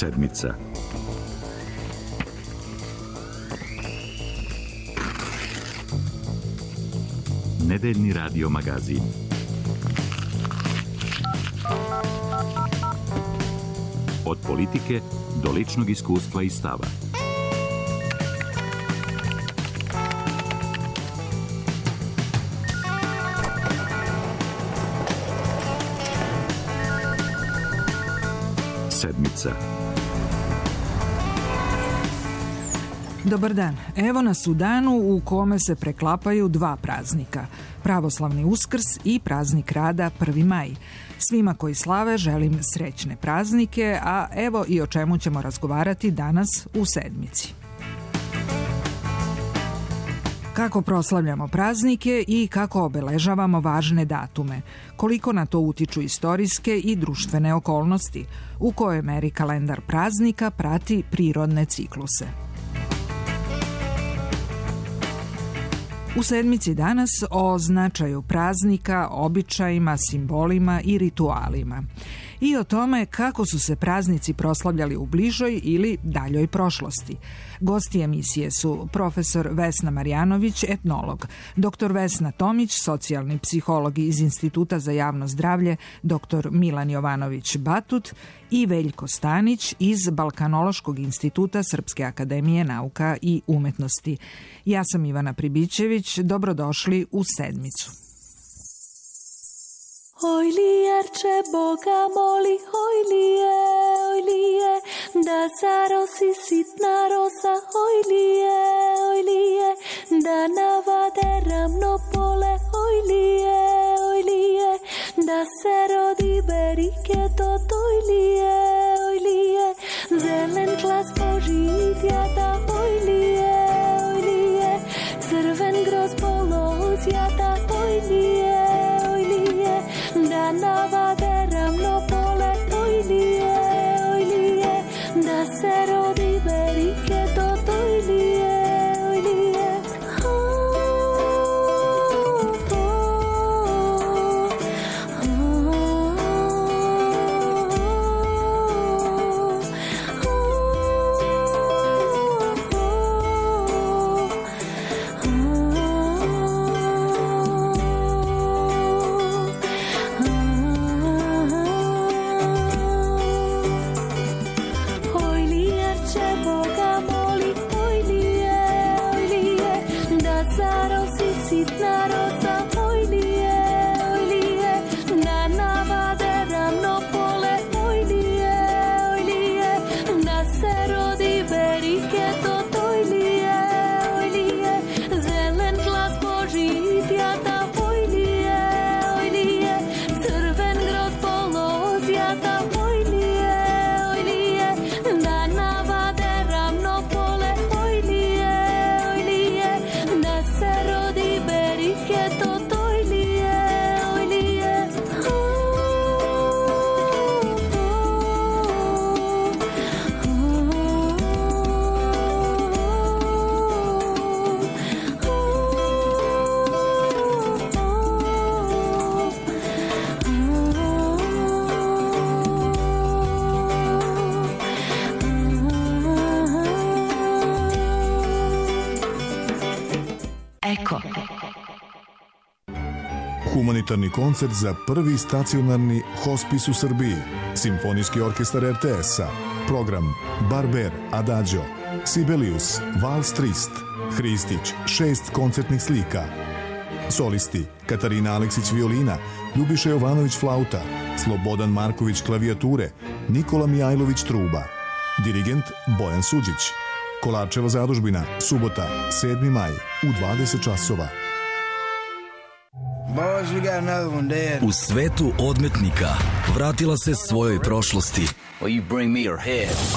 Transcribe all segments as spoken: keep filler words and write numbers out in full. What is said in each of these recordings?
Sedmica. Nedeljni radio magazin. Od politike do ličnog iskustva i stava. Sedmica. Dobar dan. Evo nas u danu u kome se preklapaju dva praznika. Pravoslavni Uskrs i praznik rada prvi maj. Svima koji slave želim srećne praznike, a evo i o čemu ćemo razgovarati danas u Sedmici. Kako proslavljamo praznike i kako obeležavamo važne datume, koliko na to utiču istorijske i društvene okolnosti, u kojoj meri kalendar praznika prati prirodne cikluse. U Sedmici danas o značaju praznika, običajima, simbolima i ritualima. I o tome kako su se praznici proslavljali u bližoj ili daljoj prošlosti. Gosti emisije su profesor Vesna Marjanović, etnolog, doktor Vesna Tomić, socijalni psiholog iz Instituta za javno zdravlje, doktor Milan Jovanović Batut i Veljko Stanić iz Balkanološkog instituta Srpske akademije nauka i umetnosti. Ja sam Ivana Pribićević, dobrodošli u Sedmicu. Oj lijerče Boga moli, oj lije, oj lije, da zarosi sitna rosa, oj lije, oj lije, da navade ravno pole, oj lije, oj lije, da se rodi beriketot, oj lije, oj lije, zelen glas požitjata, oj lije, oj lije, crven groz polozjata, oj lije, oj lije, da navade ravno pole, oj lije, oj lije, da se rodi beriketot, oj lije, oj lije. Humanitarni koncert za prvi stacionarni hospis u Srbiji. Simfonijski orkestar er te es-a. Program Barber, Adagio, Sibelius, Vals Trist, Hristić, šest koncertnih slika. Solisti Katarina Aleksić violina, Ljubiša Jovanović flauta, Slobodan Marković klavijature, Nikola Mijajlović truba. Dirigent Bojan Suđić. Kolarčeva zadužbina, subota, sedmi maj, u dvadeset časova. U svetu odmetnika vratila se svojoj prošlosti,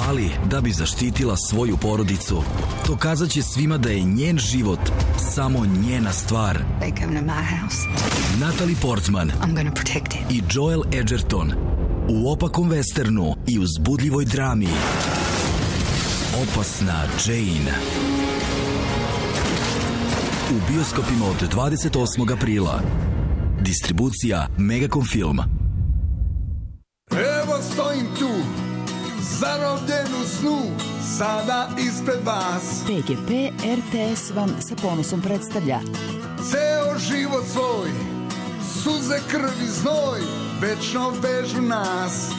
ali da bi zaštitila svoju porodicu, dokazat će svima da je njen život samo njena stvar. Natalie Portman i Joel Edgerton u opakom westernu i uzbudljivoj drami Opasna Jane. U bioskopima od dvadeset osmog aprila. Distribucija Megacom Film. Evo stojim tu, zarobljen u snu, sada ispred vas. P G P R T S vam sa ponosom predstavlja Ceo život svoj, suze, krv i znoj, večno vežu nas.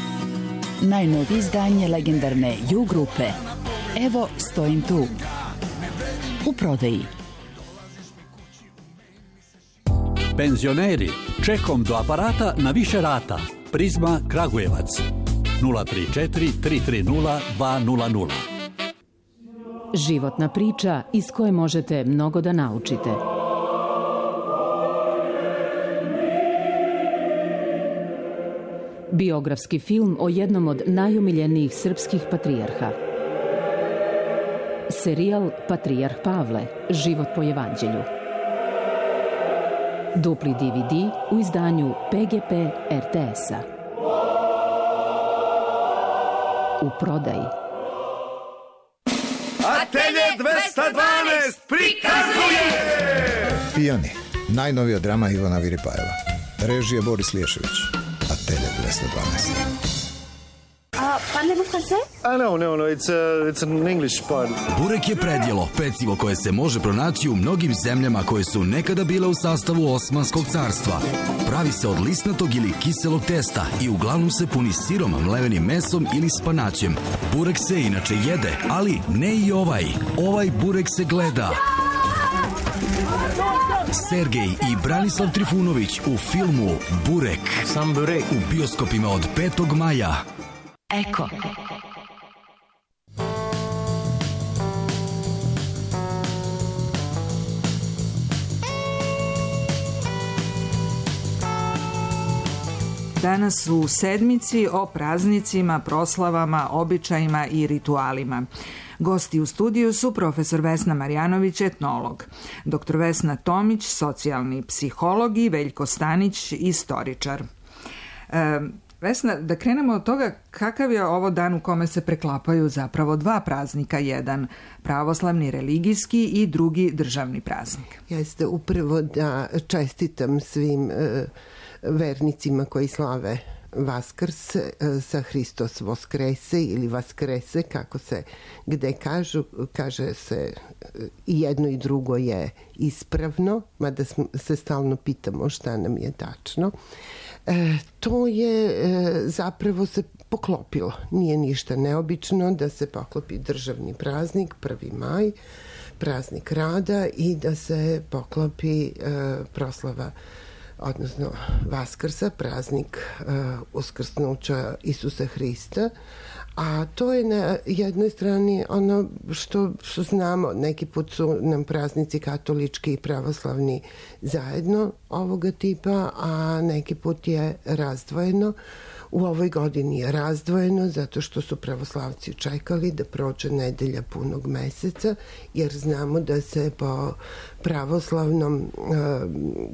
najnovije izdanje legendarne U grupe Evo stojim tu. U prodaji. Penzioneri, čekom do aparata na više rata. Prizma Kragujevac. nula tri četiri tri tri nula dva nula nula. Životna priča iz koje možete mnogo da naučite. Biografski film o jednom od najomiljenijih srpskih patrijarha. Serijal Patrijarh Pavle, život po evanđelju. Dupli D V D u izdanju P G P R T S-a. U prodaji. Atelje dvesta dvanaest prikazuje! Pijani, najnovija drama Ivana Viripajeva. Režija Boris Liješević. Atelje dvesta dvanaest. Parlez-vous français? Ah no, no, no, it's, uh, it's an English part. Burek je predjelo, pecivo koje se može pronaći u mnogim zemljama koje su nekada bile u sastavu Osmanskog carstva. Pravi se od lisnatog ili kiselog testa i uglavnom se puni sirom, mlevenim mesom ili spanaćem. Burek se inače jede, ali ne i ovaj. Ovaj burek se gleda. Sergej i Branislav Trifunović u filmu Burek. Sam burek. U bioskopima od petog maja. Eko. Danas u sedmici o praznicima, proslavama, običajima i ritualima. Gosti u studiju su profesor Vesna Marjanović, etnolog, doktor Vesna Tomić, socijalni psiholog i Veljko Stanić, istoričar. E, Vesna, da krenemo od toga kakav je ovo dan u kome se preklapaju zapravo dva praznika, jedan pravoslavni religijski i drugi državni praznik. Jeste upravo da čestitam svim e, vernicima koji slave Vaskrs e, sa Hristos Voskrese ili Vaskrese, kako se gde kažu, kaže se i jedno i drugo je ispravno, mada se stalno pitamo šta nam je tačno. E, to je e, zapravo se poklopilo. Nije ništa neobično da se poklopi državni praznik, prvi maj, praznik rada i da se poklopi e, proslava, odnosno Vaskrsa, praznik e, uskrsnuća Isusa Hrista. A to je na jednoj strani ono što, što znamo, neki put su nam praznici katolički i pravoslavni zajedno ovoga tipa, a neki put je razdvojeno. U ovoj godini je razdvojeno zato što su pravoslavci čekali da prođe nedelja punog meseca, jer znamo da se po pravoslavnom e,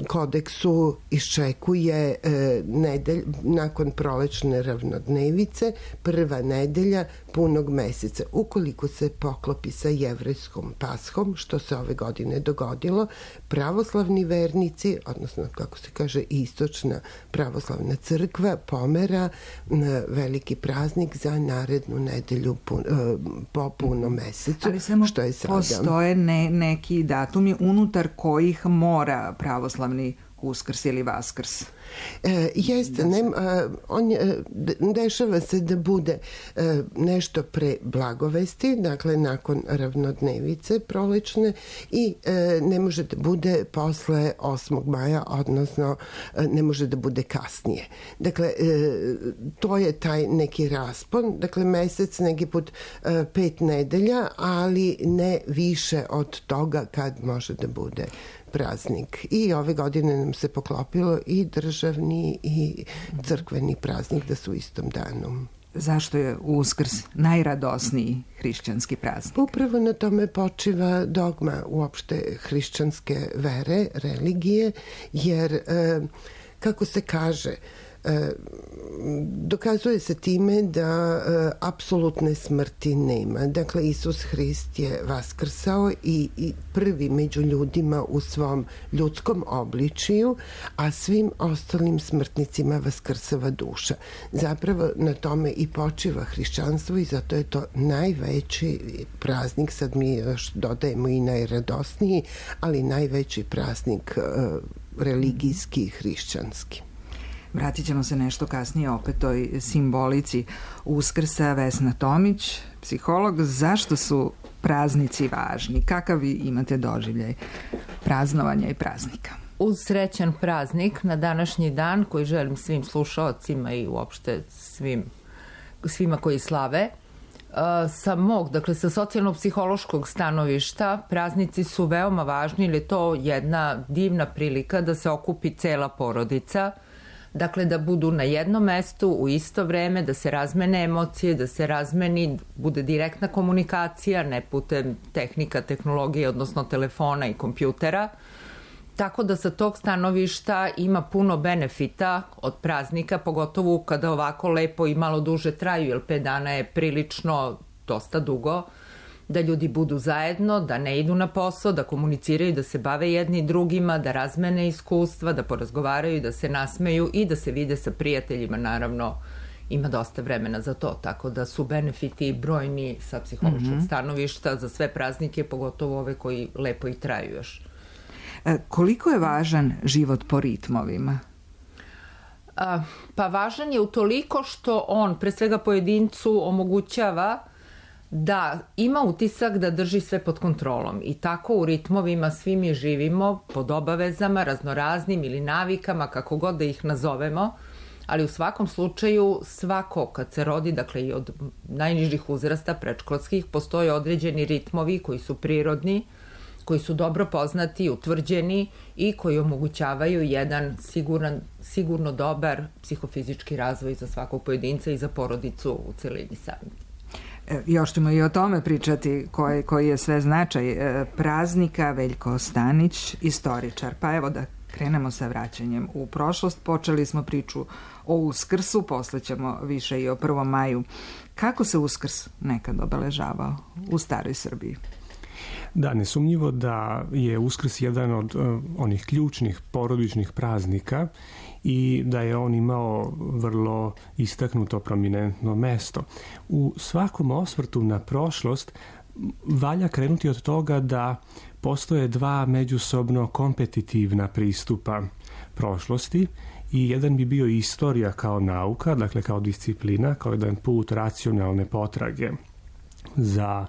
kodeksu iščekuje e, nedelj, nakon prolećne ravnodnevice, prva nedelja punog meseca. Ukoliko se poklopi sa jevrejskom Pashom, što se ove godine dogodilo, pravoslavni vernici, odnosno kako se kaže istočna pravoslavna crkva, pomera veliki praznik za narednu nedelju pun, po punom mesecu. Ali samo što je sada. Postoje ne, neki datumi unutar kojih mora pravoslavni Uskrs ili Vaskrs. E, jeste, ne, on je, dešava se da bude e, nešto pre blagovesti, dakle nakon ravnodnevice prolećne i e, ne može da bude posle osmog maja, odnosno e, ne može da bude kasnije. Dakle, e, to je taj neki raspon, dakle mesec neki put e, pet nedelja, ali ne više od toga kad može da bude praznik. I ove godine nam se poklopilo i državni i crkveni praznik da su u istom danu. Zašto je Uskrs najradosniji hrišćanski praznik? Upravo na tome počiva dogma uopšte hrišćanske vere, religije, jer, kako se kaže, dokazuje se time da apsolutne smrti nema. Dakle, Isus Hrist je vaskrsao i, i prvi među ljudima u svom ljudskom obličiju, a svim ostalim smrtnicima vaskrsava duša. Zapravo na tome i počiva hrišćanstvo i zato je to najveći praznik, sad mi još dodajemo i najradosniji, ali najveći praznik religijski i hrišćanski. Vratit ćemo se nešto kasnije opet toj simbolici Uskrsa. Vesna Tomić, psiholog, zašto su praznici važni? Kakav vi imate doživljaj praznovanja i praznika? Uz srećan praznik na današnji dan koji želim svim slušaocima i uopšte svim, svima koji slave, sa mog, dakle sa socijalno-psihološkog stanovišta, praznici su veoma važni jer je to jedna divna prilika da se okupi cela porodica, dakle da budu na jednom mestu u isto vreme, da se razmene emocije, da se razmeni, bude direktna komunikacija, ne putem tehnika, tehnologije, odnosno telefona i kompjutera. Tako da sa tog stanovišta ima puno benefita od praznika, pogotovo kada ovako lepo i malo duže traju, jer pet dana je prilično dosta dugo, da ljudi budu zajedno, da ne idu na posao, da komuniciraju, da se bave jedni drugima, da razmene iskustva, da porazgovaraju, da se nasmeju i da se vide sa prijateljima, naravno ima dosta vremena za to, tako da su benefiti brojni sa psihološkog mm-hmm. stanovišta za sve praznike, pogotovo ove koji lepo i traju još. Koliko je važan život po ritmovima? A, pa važan je utoliko što on, pre svega pojedincu, omogućava da ima utisak da drži sve pod kontrolom i tako u ritmovima svi mi živimo pod obavezama, raznoraznim ili navikama, kako god da ih nazovemo, ali u svakom slučaju svako kad se rodi, dakle i od najnižih uzrasta predškolskih, postoje određeni ritmovi koji su prirodni, koji su dobro poznati, utvrđeni i koji omogućavaju jedan siguran, sigurno dobar psihofizički razvoj za svakog pojedinca i za porodicu u celini sami. Još ćemo i o tome pričati koji, koji je sve značaj praznika. Veljko Stanić, istoričar. Pa evo da krenemo sa vraćanjem u prošlost. Počeli smo priču o Uskrsu, posle ćemo više i o prvom maju. Kako se Uskrs nekad obeležavao u staroj Srbiji? Da, nesumnjivo da je Uskrs jedan od uh, onih ključnih porodičnih praznika i da je on imao vrlo istaknuto prominentno mesto. U svakom osvrtu na prošlost valja krenuti od toga da postoje dva međusobno kompetitivna pristupa prošlosti i jedan bi bio istorija kao nauka, dakle kao disciplina, kao jedan put racionalne potrage za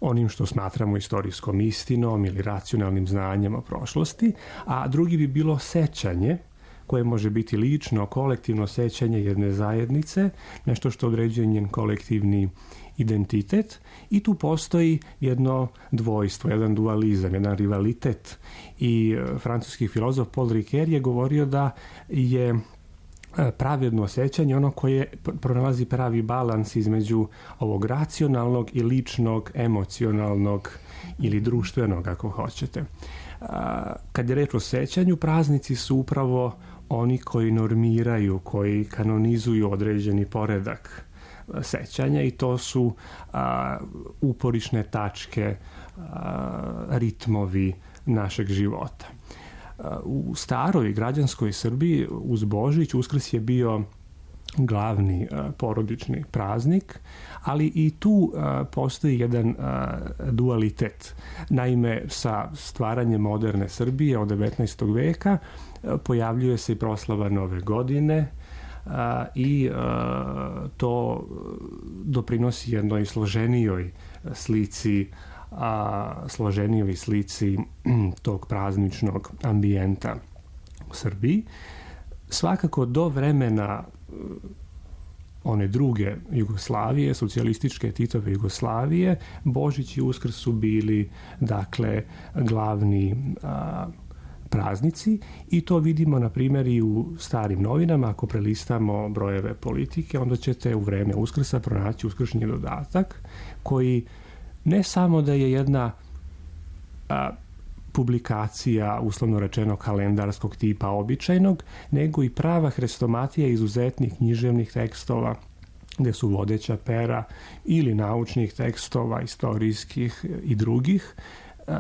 onim što smatramo istorijskom istinom ili racionalnim znanjem o prošlosti, a drugi bi bilo sećanje, koje može biti lično, kolektivno sećanje jedne zajednice, nešto što određuje njen kolektivni identitet i tu postoji jedno dvojstvo, jedan dualizam, jedan rivalitet i francuski filozof Paul Ricoeur je govorio da je pravedno sećanje ono koje pronalazi pravi balans između ovog racionalnog i ličnog, emocionalnog ili društvenog, ako hoćete. Kad je reč o sećanju, praznici su upravo oni koji normiraju, koji kanonizuju određeni poredak sećanja i to su a, uporišne tačke, a, ritmovi našeg života. U staroj građanskoj Srbiji uz Božić Uskrs je bio glavni uh, porodični praznik, ali i tu uh, postoji jedan uh, dualitet. Naime, sa stvaranjem moderne Srbije od devetnaestog veka uh, pojavljuje se i proslava Nove godine uh, i uh, to doprinosi jednoj složenijoj slici a složenijoj slici tog prazničnog ambijenta u Srbiji. Svakako do vremena one druge Jugoslavije, socijalističke Titove Jugoslavije, Božić i Uskrs su bili dakle glavni a, praznici i to vidimo na primjer i u starim novinama. Ako prelistamo brojeve Politike, onda ćete u vreme Uskrsa pronaći uskršnji dodatak koji ne samo da je jedna a, publikacija, uslovno rečeno kalendarskog tipa običajnog, nego i prava hrestomatija izuzetnih književnih tekstova, gde su vodeća pera ili naučnih tekstova, istorijskih i drugih.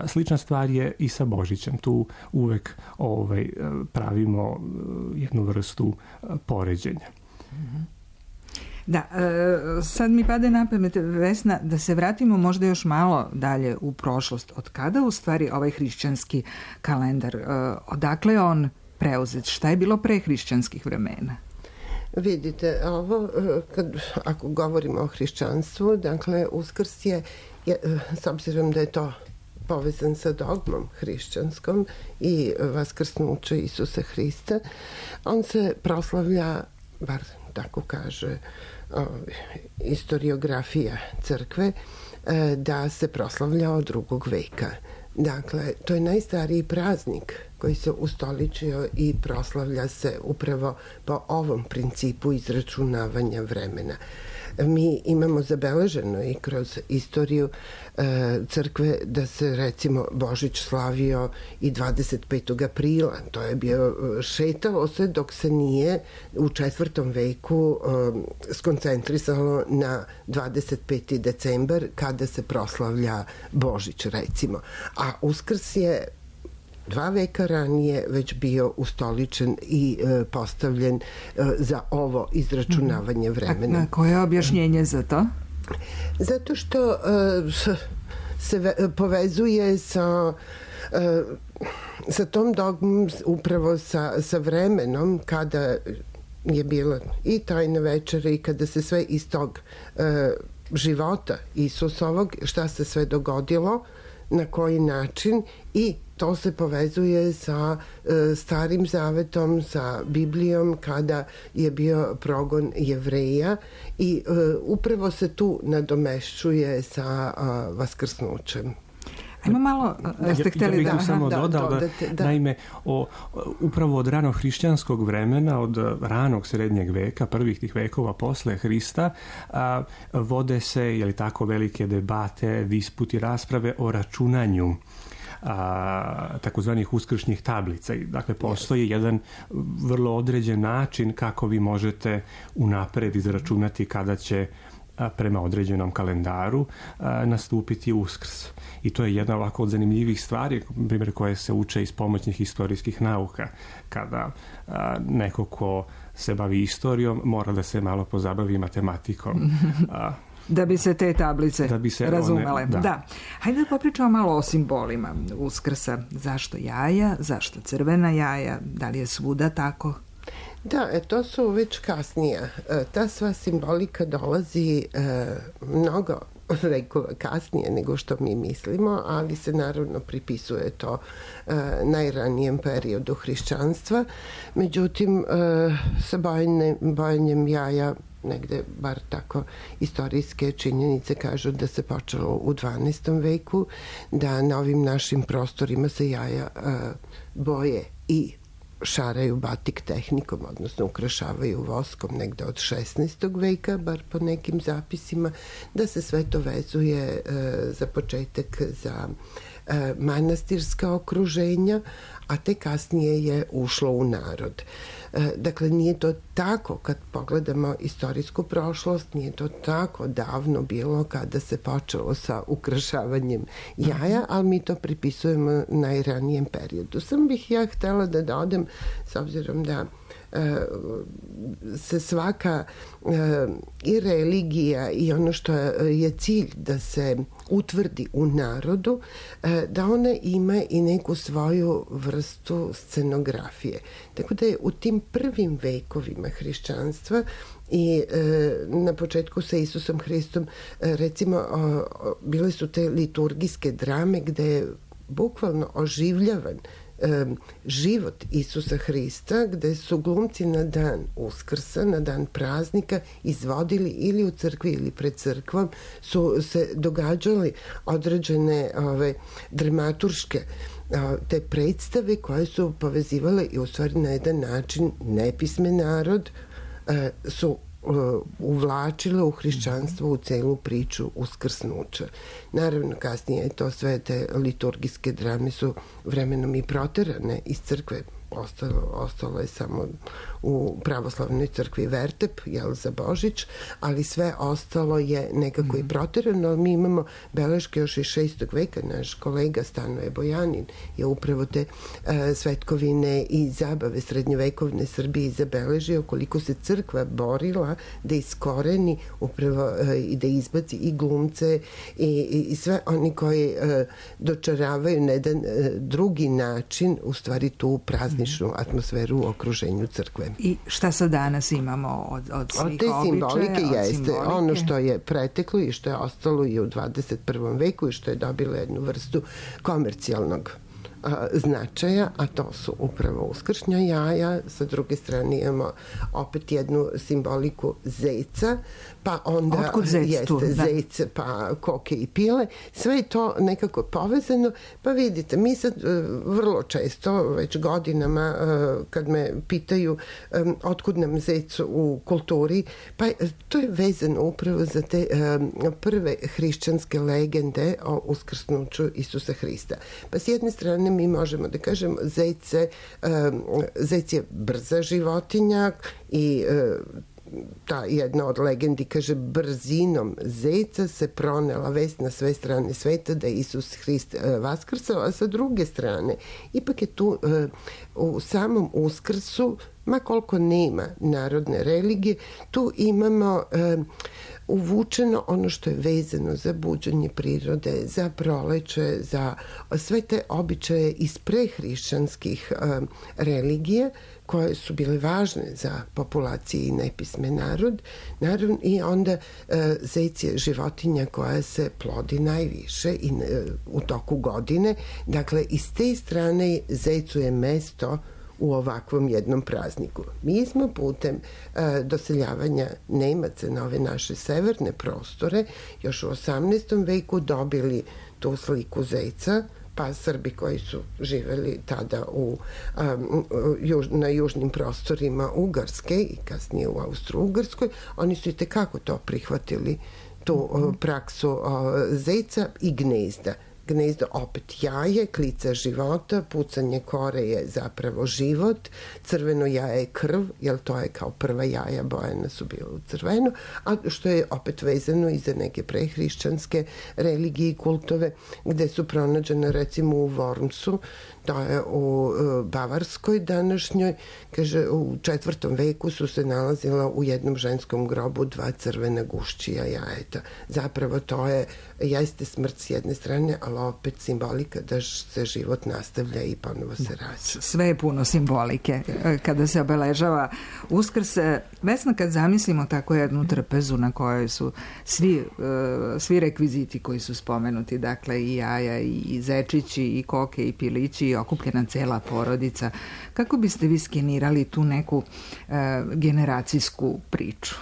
Slična stvar je i sa Božićem. Tu uvek ovaj, pravimo jednu vrstu poređenja. Da, sad mi pade na pamet, Vesna, da se vratimo možda još malo dalje u prošlost. Od kada u stvari ovaj hrišćanski kalendar, odakle je on preuzet? Šta je bilo pre hrišćanskih vremena? Vidite, ovo, kad, ako govorimo o hrišćanstvu, dakle, Uskrs je, je, s obzirom da je to povezan sa dogmom hrišćanskom i vaskrsnuće Isusa Hrista, on se proslavlja, bar tako kaže o, istoriografija crkve, da se proslavlja od drugog veka. Dakle, to je najstariji praznik koji se ustoličio i proslavlja se upravo po ovom principu izračunavanja vremena. Mi imamo zabeleženo i kroz istoriju e, crkve da se recimo Božić slavio i dvadeset petog aprila. To je bio, šetalo se dok se nije u četvrtom veku e, skoncentrisalo na dvadeset peti decembar kada se proslavlja Božić recimo. A Uskrs je dva veka ranije već bio ustoličen i e, postavljen e, za ovo izračunavanje vremena. A koje je objašnjenje za to? Zato što e, se ve, povezuje sa e, sa tom dogmom, upravo sa, sa vremenom kada je bila i tajna večera i kada se sve iz tog e, života Isusovog, šta se sve dogodilo, na koji način, i to se povezuje sa e, Starim zavetom, sa Biblijom, kada je bio progon Jevreja, i e, upravo se tu nadomešćuje sa a, vaskrsnućem. Ajmo malo, ste hteli ja, ja da... samo da, dodal da, da, da, naime, o, upravo od rano hrišćanskog vremena, od ranog srednjeg veka, prvih tih vekova posle Hrista, a, vode se, je li tako, velike debate, disputi, rasprave o računanju a, takozvanih uskršnjih tablica. Dakle, postoji jedan vrlo određen način kako vi možete unapred izračunati kada će prema određenom kalendaru a, nastupiti Uskrs. I to je jedna ovako od zanimljivih stvari, primjer, koje se uče iz pomoćnih istorijskih nauka. Kada a, neko ko se bavi istorijom mora da se malo pozabavi matematikom. A, da bi se te tablice da bi se razumele. One, da. da. Hajde da popričamo malo o simbolima Uskrsa. Zašto jaja? Zašto crvena jaja? Da li je svuda tako? Da, e, to su već kasnija. E, ta sva simbolika dolazi e, mnogo vekova kasnije nego što mi mislimo, ali se naravno pripisuje to e, najranijem periodu hrišćanstva. Međutim, e, sa bojanjem, bojanjem jaja, negde, bar tako istorijske činjenice kažu da se počelo u dvanaestom veku, da na ovim našim prostorima se jaja e, boje i šaraju batik tehnikom, odnosno ukrašavaju voskom negde od šesnaestog veka, bar po nekim zapisima, da se sve to vezuje e, za početak za e, manastirska okruženja, a te kasnije je ušlo u narod. E, dakle, nije to tako, kad pogledamo istorijsku prošlost, nije to tako davno bilo kada se počelo sa ukrašavanjem jaja, ali mi to pripisujemo najranijem periodu. Sam bih ja htela da dodam, s obzirom da se svaka i religija i ono što je cilj da se utvrdi u narodu, da ona ima i neku svoju vrstu scenografije. Tako da je u tim prvim vekovima hrišćanstva i e, na početku sa Isusom Hristom, e, recimo, o, o, bile su te liturgijske drame gde je bukvalno oživljavan e, život Isusa Hrista, gde su glumci na dan Uskrsa, na dan praznika, izvodili ili u crkvi ili pred crkvom, su se događali određene ove, dramaturške te predstave koje su povezivale i u stvari na jedan način nepismen narod su uvlačila u hrišćanstvo u celu priču uskrsnuća. Naravno, kasnije to sve te liturgijske drame su vremenom i proterane iz crkve. Ostalo, ostalo je samo u pravoslavnoj crkvi vertep, jel, za Božić, ali sve ostalo je nekako mm. i proterano. Mi imamo beleške još iz šestog veka. Naš kolega Stanoje Bojanin je upravo te uh, svetkovine i zabave srednjovekovne Srbije zabeležio koliko se crkva borila da iskoreni upravo uh, i da izbaci i glumce i, i, i sve oni koji uh, dočaravaju na jedan uh, drugi način u stvari tu prazničnu atmosferu u okruženju crkve. I šta sad danas imamo od, od svih od te simbolike običaja, jeste simbolike? Ono što je preteklo i što je ostalo i u dvadeset prvom veku i što je dobilo jednu vrstu komercijalnog a, značaja, a to su upravo uskršnja jaja. Sa druge strane imamo opet jednu simboliku zeca, pa onda Otkud zec jeste tu, da. zec, pa koke i pile. Sve je to nekako povezano. Pa vidite, mi sad vrlo često, već godinama, kad me pitaju otkud nam zec u kulturi, pa to je vezano upravo za te prve hrišćanske legende o uskrsnuću Isusa Hrista. Pa s jedne strane mi možemo da kažemo zec, zec je brza životinja i ta jedna od legendi kaže brzinom zeca se pronela vest na sve strane sveta da je Isus Hrist vaskrsao, a sa druge strane ipak je tu u samom uskrsu, ma koliko nema narodne religije, tu imamo uvučeno ono što je vezano za buđenje prirode, za proleće, za sve te običaje iz prehrišćanskih religije koje su bile važne za populacije i nepismen narod. Naravno, i onda e, zec je životinja koja se plodi najviše i, e, u toku godine. Dakle, iz te strane zecu je mesto u ovakvom jednom prazniku. Mi smo putem e, doseljavanja Nemaca na ove naše severne prostore još u osamnaestom veku dobili tu sliku zeca, pa Srbi koji su živeli tada u, um, juž, na južnim prostorima Ugarske i kasnije u Austro-Ugarskoj, oni su i tekako to prihvatili, tu uh, praksu uh, zeca i gnezda. Gnezdo opet jaje, klica života, pucanje kore je zapravo život, crveno jaje je krv, jer to je kao prva jaja bojena su bila u crveno, a što je opet vezano i za neke prehrišćanske religije i kultove, gde su pronađene recimo u Wormsu, to je u Bavarskoj današnjoj, kaže u četvrtom veku su se nalazila u jednom ženskom grobu dva crvena gušćija jajeta. Zapravo to je, jeste smrt s jedne strane, ali opet simbolika da se život nastavlja i ponovo se rađa. Sve je puno simbolike kada se obeležava Uskrs. Vesna, kad zamislimo tako jednu trpezu na kojoj su svi, svi rekviziti koji su spomenuti, dakle i jaja, i zečići, i koke, i pilići, i okupljena cela porodica, kako biste vi skenirali tu neku e, generacijsku priču?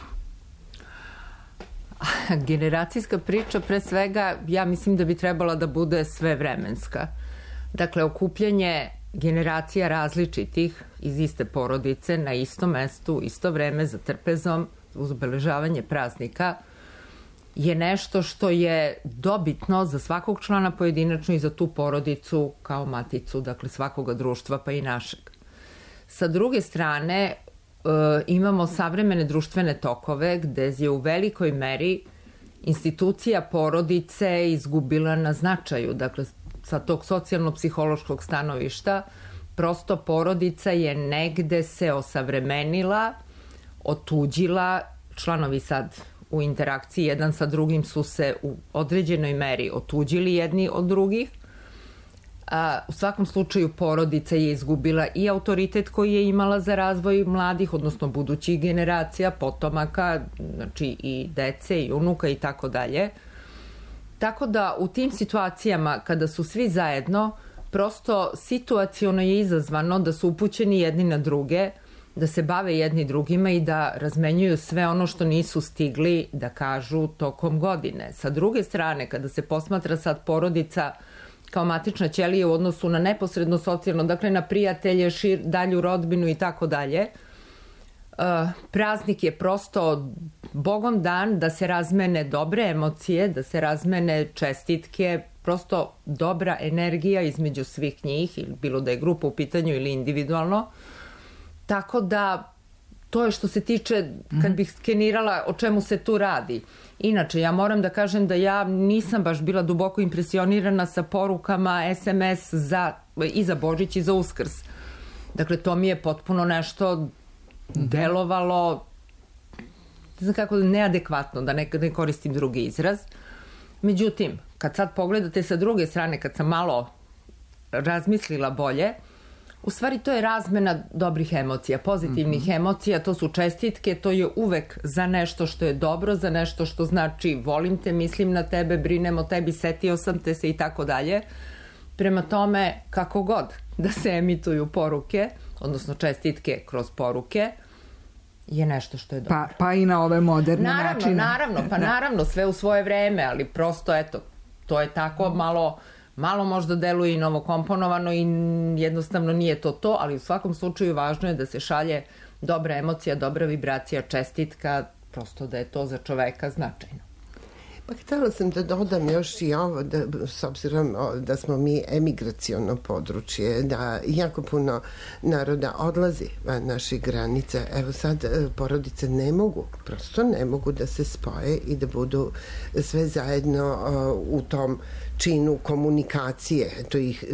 Generacijska priča, pre svega, ja mislim da bi trebala da bude svevremenska. Dakle, okupljanje generacija različitih iz iste porodice na istom mestu, isto vreme za trpezom, uz obeležavanje praznika, je nešto što je dobitno za svakog člana pojedinačno i za tu porodicu kao maticu, dakle svakoga društva pa i našeg. Sa druge strane, e, imamo savremene društvene tokove gde je u velikoj meri institucija porodice izgubila na značaju. Dakle, sa tog socijalno-psihološkog stanovišta, prosto porodica je negde se osavremenila, otuđila, članovi sad u interakciji jedan sa drugim su se u određenoj meri otuđili jedni od drugih. A, u svakom slučaju porodica je izgubila i autoritet koji je imala za razvoj mladih, odnosno budućih generacija, potomaka, znači i dece i unuka i tako dalje. Tako da u tim situacijama kada su svi zajedno, prosto situaciono je izazvano da su upućeni jedni na druge, da se bave jedni drugima i da razmenjuju sve ono što nisu stigli da kažu tokom godine. Sa druge strane, kada se posmatra sad porodica kao matična ćelija u odnosu na neposredno socijalno, dakle na prijatelje, šir, dalju rodbinu i tako dalje, praznik je prosto Bogom dan da se razmene dobre emocije, da se razmene čestitke, prosto dobra energija između svih njih, bilo da je grupa u pitanju ili individualno. Tako da to je što se tiče, kad bih skenirala o čemu se tu radi. Inače, ja moram da kažem da ja nisam baš bila duboko impresionirana sa porukama es em es za, i za Božić i za Uskrs. Dakle, to mi je potpuno nešto delovalo, ne znam kako, neadekvatno, da ne, ne koristim drugi izraz. Međutim, kad sad pogledate sa druge strane, kad sam malo razmislila bolje, u stvari to je razmena dobrih emocija, pozitivnih mm-hmm. emocija, to su čestitke, to je uvek za nešto što je dobro, za nešto što znači volim te, mislim na tebe, brinem o tebi, setio sam te se i tako dalje. Prema tome, kako god da se emituju poruke, odnosno čestitke kroz poruke, je nešto što je dobro. Pa, pa i na ove moderne naravno, načine. Naravno, pa da. naravno, sve u svoje vreme, ali prosto, eto, to je tako malo... Malo možda deluje i novokomponovano i jednostavno nije to to, ali u svakom slučaju važno je da se šalje dobra emocija, dobra vibracija, čestitka, prosto da je to za čoveka značajno. Pa htjela sam da dodam još i ovo, da, s obzirom da smo mi emigraciono područje, da jako puno naroda odlazi van naših granica. Evo sad porodice ne mogu, prosto ne mogu da se spoje i da budu sve zajedno u tom činu komunikacije, to ih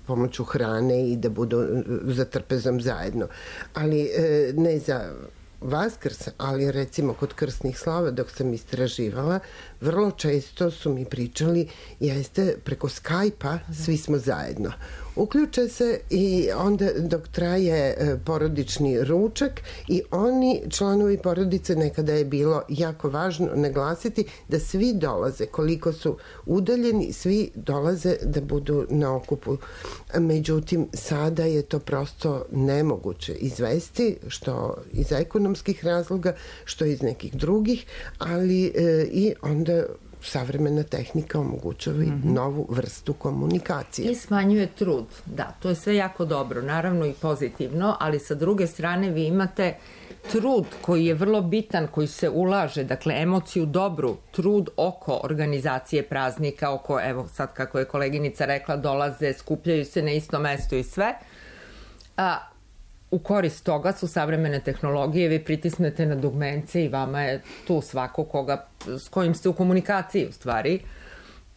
pomoću hrane i da budu za trpezom zajedno. Ali ne za Vaskrs, ali recimo kod krsnih slava dok sam istraživala, vrlo često su mi pričali, jeste preko Skype-a svi smo zajedno. Uključe se i onda dok traje porodični ručak i oni članovi porodice, nekada je bilo jako važno naglasiti da svi dolaze, koliko su udaljeni, svi dolaze da budu na okupu. Međutim, sada je to prosto nemoguće izvesti, što iz ekonomskih razloga, što iz nekih drugih, ali e, i onda savremena tehnika omogućava i mm-hmm. novu vrstu komunikacije. I smanjuje trud. Da, to je sve jako dobro, naravno i pozitivno, ali sa druge strane vi imate trud koji je vrlo bitan, koji se ulaže, dakle emociju dobru, trud oko organizacije praznika, oko, evo sad kako je koleginica rekla, dolaze, skupljaju se na isto mesto i sve. A u korist toga su savremene tehnologije, vi pritisnete na dugmence i vama je tu svako koga, s kojim ste u komunikaciji u stvari.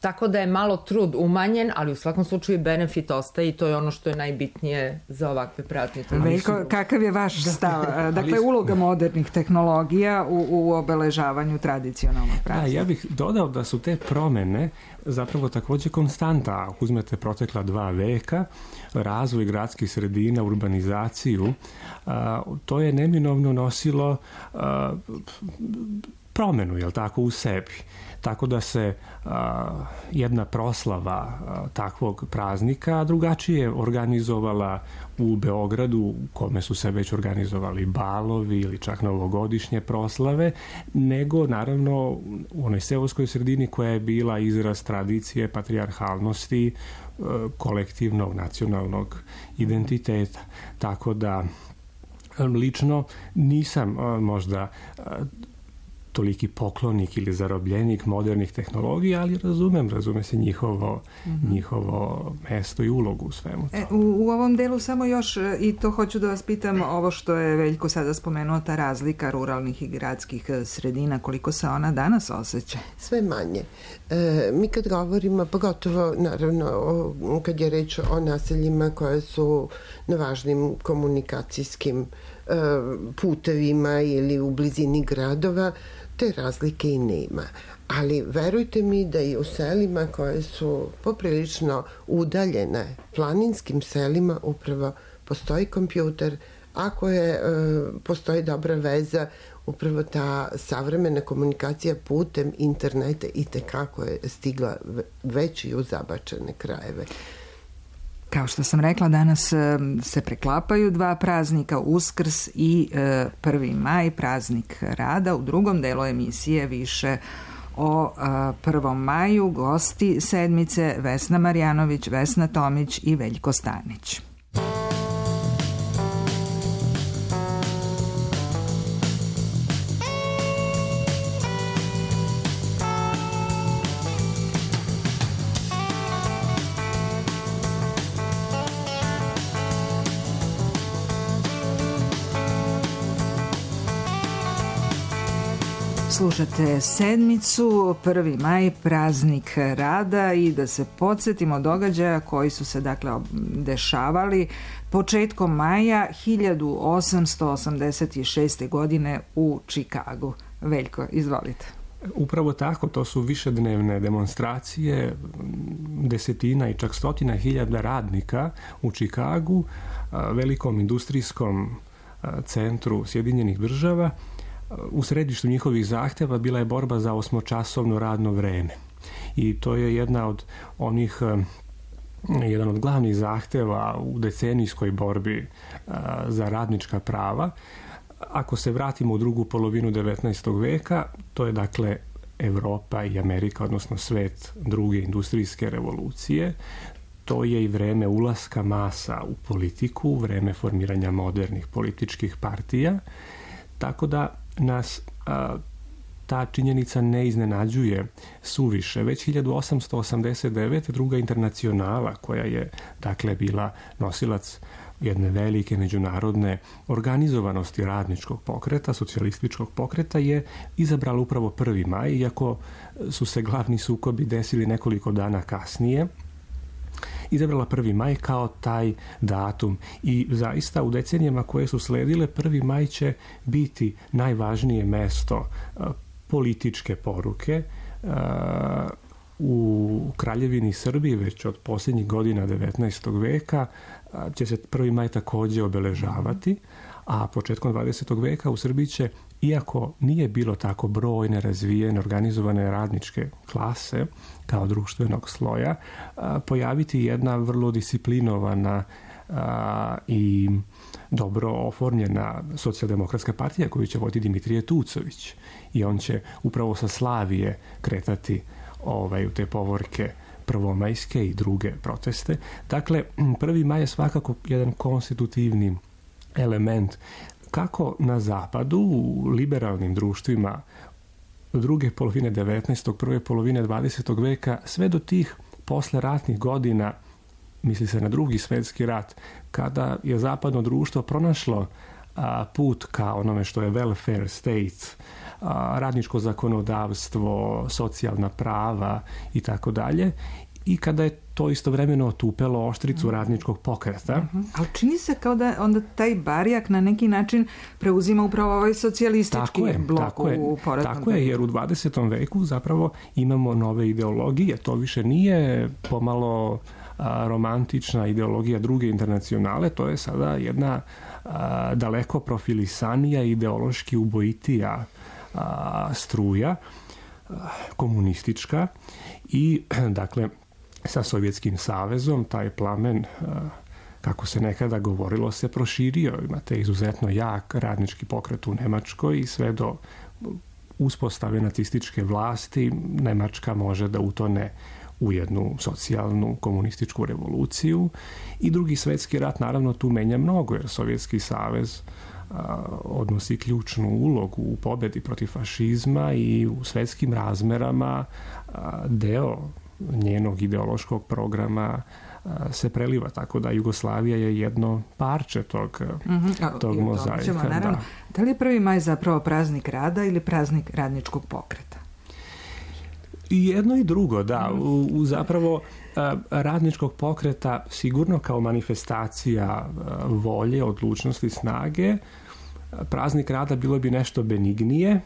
Tako da je malo trud umanjen, ali u svakom slučaju benefit ostaje i to je ono što je najbitnije za ovakve praznike. Veljko, kakav je vaš stav? Dakle, uloga modernih tehnologija u, u obeležavanju tradicionalnog praznika. Da, ja bih dodao da su te promene zapravo također konstanta. Ako uzmete protekla dva veka, razvoj gradskih sredina, urbanizaciju, a, to je neminovno nosilo a, promenu, jel tako, u sebi. Tako da se a, jedna proslava a, takvog praznika drugačije organizovala u Beogradu, u kome su se već organizovali balovi ili čak novogodišnje proslave, nego naravno u onoj seoskoj sredini koja je bila izraz tradicije, patrijarhalnosti, a, kolektivnog nacionalnog identiteta. Tako da lično nisam a, možda a, toliki poklonik ili zarobljenik modernih tehnologija, ali razumem, razume se njihovo, mm-hmm. njihovo mesto i ulogu u svemu to. E, u, u ovom delu samo još, i to hoću da vas pitam, ovo što je Veljko sada spomenuo, ta razlika ruralnih i gradskih sredina, koliko se ona danas osjeća? Sve manje. E, mi kad govorimo, pogotovo naravno o, kad je reč o naseljima koje su na važnim komunikacijskim e, putevima ili u blizini gradova, te razlike i nema. Ali verujte mi da i u selima koje su poprilično udaljene, planinskim selima upravo postoji kompjuter, ako je, e, postoji dobra veza, upravo ta savremena komunikacija putem interneta i tekako je stigla već i u zabačene krajeve. Kao što sam rekla, danas se preklapaju dva praznika, Uskrs i prvi maj, praznik rada. U drugom delu emisije više o prvom maju, gosti sedmice Vesna Marjanović, Vesna Tomić i Veljko Stanić. Slušate Sedmicu, prvi maj, praznik rada, i da se podsjetimo događaja koji su se dakle dešavali početkom maja hiljadu osamsto osamdeset šeste. godine u Čikagu. Veljko, izvolite. Upravo tako, to su višednevne demonstracije, desetina i čak stotina hiljada radnika u Čikagu, velikom industrijskom centru Sjedinjenih država. U središtu njihovih zahtjeva bila je borba za osmočasovno radno vreme. I to je jedna od onih, jedan od glavnih zahtjeva u decenijskoj borbi za radnička prava. Ako se vratimo u drugu polovinu devetnaestog veka, to je dakle Europa i Amerika, odnosno svet druge industrijske revolucije. To je i vreme ulaska masa u politiku, vreme formiranja modernih političkih partija. Tako da nas a, ta činjenica ne iznenađuje suviše. Već hiljadu osamsto osamdeset devete. druga internacionala, koja je dakle bila nosilac jedne velike međunarodne organizovanosti radničkog pokreta, socijalističkog pokreta, je izabrala upravo prvi maj, iako su se glavni sukobi desili nekoliko dana kasnije. Izabrala prvi maj kao taj datum i zaista u decenijama koje su sledile prvi maj će biti najvažnije mesto političke poruke. U Kraljevini Srbiji već od posljednjih godina devetnaestog veka će se prvi maj također obeležavati, a početkom dvadesetog veka u Srbiji će, iako nije bilo tako brojne, razvijene, organizovane radničke klase kao društvenog sloja, pojaviti jedna vrlo disciplinovana i dobro oformljena socijaldemokratska partija koju će voditi Dimitrije Tucović. I on će upravo sa Slavije kretati ovaj, u te povorke prvomajske i druge proteste. Dakle, prvi maj je svakako jedan konstitutivni element kako na zapadu, u liberalnim društvima druge polovine devetnaestog. prve polovine dvadesetog veka, sve do tih posleratnih godina, misli se na drugi svjetski rat, kada je zapadno društvo pronašlo a, put ka onome što je welfare state, a, radničko zakonodavstvo, socijalna prava i tako dalje. I kada je to istovremeno otupelo oštricu uh-huh. radničkog pokreta. Uh-huh. Ali čini se kao da onda taj barjak na neki način preuzima upravo ovaj socijalistički je, blok tako je, u poratnom. Tako je, jer u dvadesetom veku zapravo imamo nove ideologije. To više nije pomalo a, romantična ideologija druge internacionale, to je sada jedna a, daleko profilisanija, ideološki ubojitija a, struja, a, komunistička i dakle sa Sovjetskim savezom taj plamen, kako se nekada govorilo, se proširio. Imate izuzetno jak radnički pokret u Nemačkoj i sve do uspostave nacističke vlasti Nemačka može da utone u jednu socijalnu komunističku revoluciju. I drugi svjetski rat naravno tu menja mnogo, jer Sovjetski savez a, odnosi ključnu ulogu u pobjedi protiv fašizma i u svjetskim razmerama a, deo njenog ideološkog programa a, se preliva, tako da Jugoslavija je jedno parče tog, mm-hmm. tog I mozaika. Ćemo, naravno, da. da li je prvi maj zapravo praznik rada ili praznik radničkog pokreta? I jedno i drugo, da. U, u zapravo a, radničkog pokreta sigurno kao manifestacija a, volje, odlučnosti, snage. A, praznik rada bilo bi nešto benignije,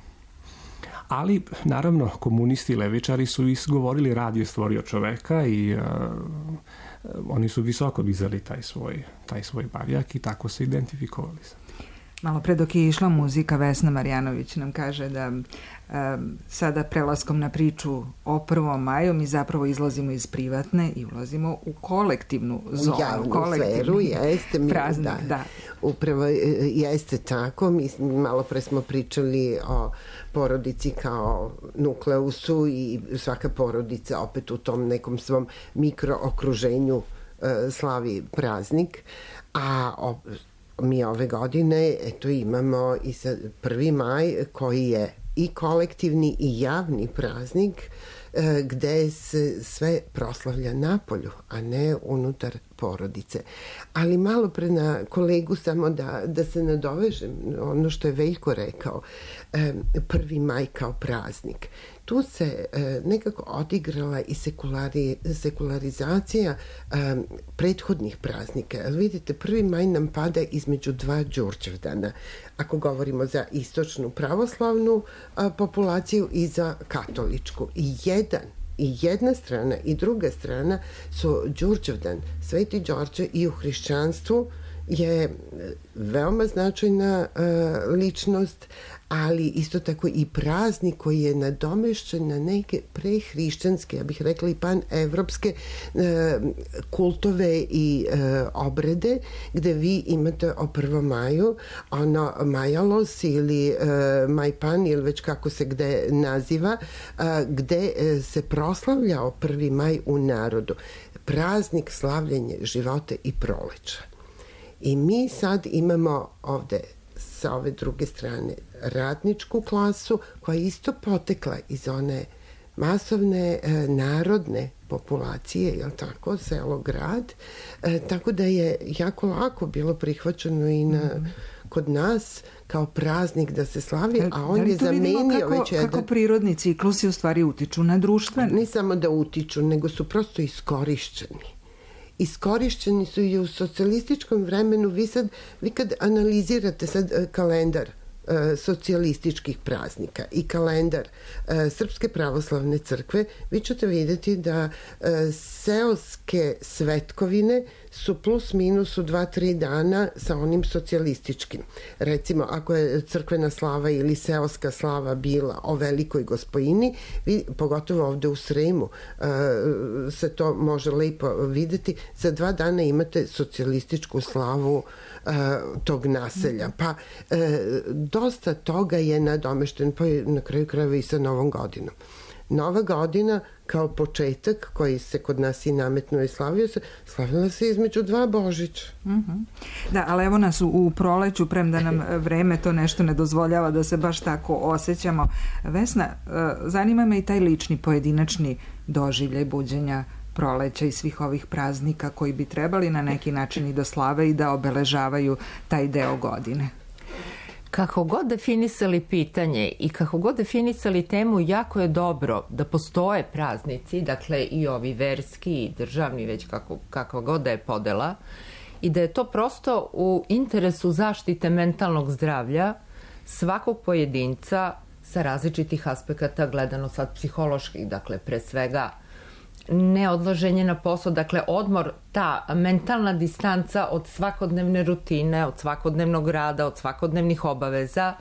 ali naravno komunisti i levičari su izgovorili rad je stvorio čoveka i uh, oni su visoko dizali taj svoj, taj svoj barjak i tako se identifikovali. Malo pre dok je išla muzika, Vesna Marjanović nam kaže da um, sada prelaskom na priču o prvom maju mi zapravo izlazimo iz privatne i ulazimo u kolektivnu zonu. U javnu sferu, jeste. Mi, praznik, da, da. Upravo jeste tako. Mi malo pre smo pričali o porodici kao nukleusu i svaka porodica opet u tom nekom svom mikrookruženju uh, slavi praznik. A o, mi ove godine eto imamo i prvi maj koji je i kolektivni i javni praznik gde se sve proslavlja napolju, a ne unutar porodice. Ali malo pre na kolegu samo da, da se nadovežem, ono što je Veljko rekao, prvi maj kao praznik. Tu se nekako odigrala i sekulari, sekularizacija prethodnih praznika. Vidite, prvi maj nam pada između dva Đurđevdana, ako govorimo za istočnu pravoslavnu populaciju i za katoličku. I jedan I jedna strana i druga strana su Đurđevdan. Sveti Đorđe i u hrišćanstvu je veoma značajna uh, ličnost, ali isto tako i praznik koji je nadomešćen na neke prehrišćanske, ja bih rekla i pan-evropske uh, kultove i uh, obrede, gde vi imate o prvom maju ono Majalos ili uh, Majpan ili već kako se gde naziva, uh, gde uh, se proslavljao prvi maj u narodu. Praznik slavljenje života i proleća. I mi sad imamo ovde sa ove druge strane radničku klasu koja je isto potekla iz one masovne e, narodne populacije, jel tako, selo, grad, e, tako da je jako lako bilo prihvaćeno i na, mm. kod nas kao praznik da se slavi, a on da je zamenio kako, već jedan... kako prirodni ciklusi u stvari utiču na društvene? Ne samo da utiču, nego su prosto iskorišćeni. Iskorišćeni su i u socijalističkom vremenu. Vi sad, vi kad analizirate sad kalendar e, socijalističkih praznika i kalendar e, Srpske pravoslavne crkve, vi ćete vidjeti da e, seoske svetkovine su plus minus u dva, tri dana sa onim socijalističkim. Recimo, ako je crkvena slava ili seoska slava bila o Velikoj Gospojini, vi, pogotovo ovde u Sremu, uh, se to može lepo videti, za dva dana imate socijalističku slavu uh, tog naselja. Pa uh, dosta toga je nadomešten, pa na kraju krajeva i sa Novom godinom. Nova godina kao početak koji se kod nas i nametnuo i slavio se, slavila se između dva Božića. Mm-hmm. Da, ali evo nas u, u proleću, premda nam vreme to nešto ne dozvoljava da se baš tako osjećamo. Vesna, zanima me i taj lični pojedinačni doživljaj buđenja proleća i svih ovih praznika koji bi trebali na neki način i da slave i da obeležavaju taj deo godine. Kako god definisali pitanje i kako god definisali temu, jako je dobro da postoje praznici, dakle i ovi verski i državni, već kako, kakva god da je podela, i da je to prosto u interesu zaštite mentalnog zdravlja svakog pojedinca sa različitih aspekata, gledano sad psiholoških, dakle pre svega neodlaženje na posao, dakle odmor, ta mentalna distanca od svakodnevne rutine, od svakodnevnog rada, od svakodnevnih obaveza.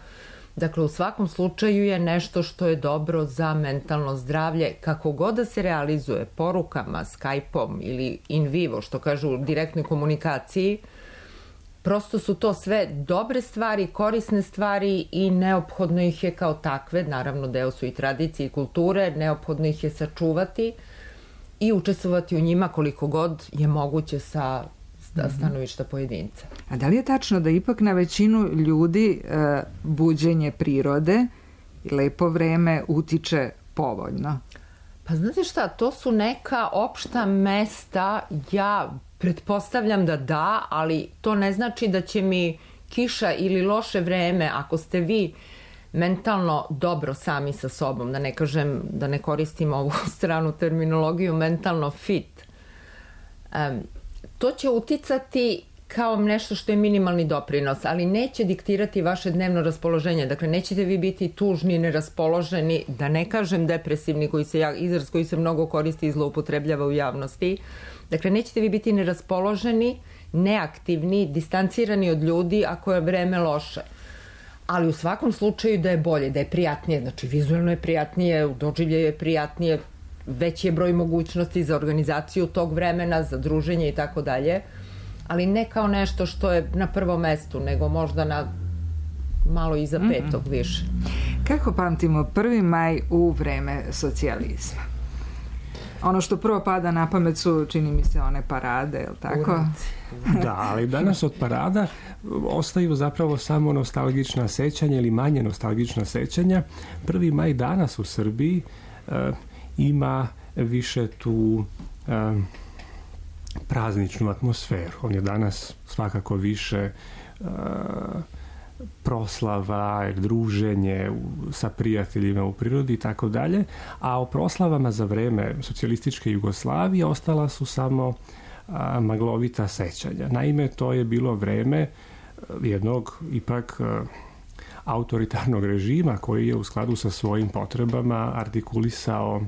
Dakle, u svakom slučaju je nešto što je dobro za mentalno zdravlje, kako god da se realizuje porukama, Skype-om ili in vivo, što kažu u direktnoj komunikaciji. Prosto su to sve dobre stvari, korisne stvari i neophodno ih je kao takve, naravno deo su i tradicije i kulture, neophodno ih je sačuvati i učestvovati u njima koliko god je moguće sa stanovišta pojedinca. A da li je tačno da ipak na većinu ljudi e, buđenje prirode i lepo vreme utiče povoljno? Pa znate šta, to su neka opšta mesta, ja pretpostavljam da da, ali to ne znači da će mi kiša ili loše vreme, ako ste vi mentalno dobro sami sa sobom, da ne kažem, da ne koristim ovu stranu terminologiju, mentalno fit. Um, to će uticati kao nešto što je minimalni doprinos, ali neće diktirati vaše dnevno raspoloženje. Dakle, nećete vi biti tužni, neraspoloženi, da ne kažem depresivni, koji se, izraz koji se mnogo koristi i zloupotrebljava u javnosti. Dakle, nećete vi biti neraspoloženi, neaktivni, distancirani od ljudi ako je vreme loše. Ali u svakom slučaju da je bolje, da je prijatnije, znači vizualno je prijatnije, u doživljaju je prijatnije, veći je broj mogućnosti za organizaciju tog vremena, za druženje i tako dalje, ali ne kao nešto što je na prvom mestu, nego možda na malo iza petog mm-hmm. više. Kako pamtimo prvi maj u vreme socijalizma? Ono što prvo pada na pamet su, čini mi se, one parade, je li tako? Da, ali danas od parada ostaju zapravo samo nostalgična sećanja ili manje nostalgična sećanja. Prvi maj danas u Srbiji uh, ima više tu um, prazničnu atmosferu. On je danas svakako više uh, proslava, druženje sa prijateljima u prirodi i tako dalje, a o proslavama za vreme socijalističke Jugoslavije ostala su samo a, maglovita sećanja. Naime, to je bilo vreme jednog ipak a, autoritarnog režima koji je u skladu sa svojim potrebama artikulisao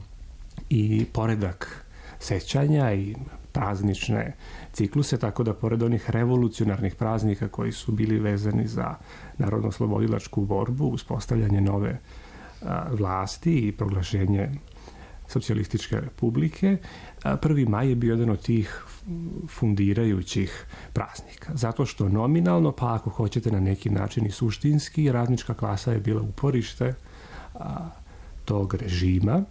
i poredak sećanja i praznične cikluse, tako da pored onih revolucionarnih praznika koji su bili vezani za narodno-oslobodilačku borbu, uspostavljanje nove a, vlasti i proglašenje socijalističke republike, a, prvi maj je bio jedan od tih fundirajućih praznika. Zato što nominalno, pa ako hoćete na neki način i suštinski, radnička klasa je bila uporište a, tog režima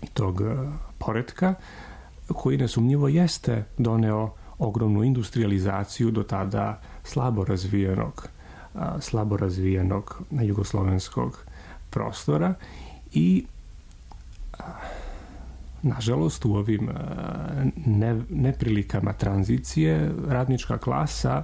i tog a, poretka, koji nesumnjivo jeste doneo ogromnu industrializaciju do tada slabo razvijenog, a, slabo razvijenog jugoslovenskog prostora i a, nažalost u ovim a, ne, neprilikama tranzicije radnička klasa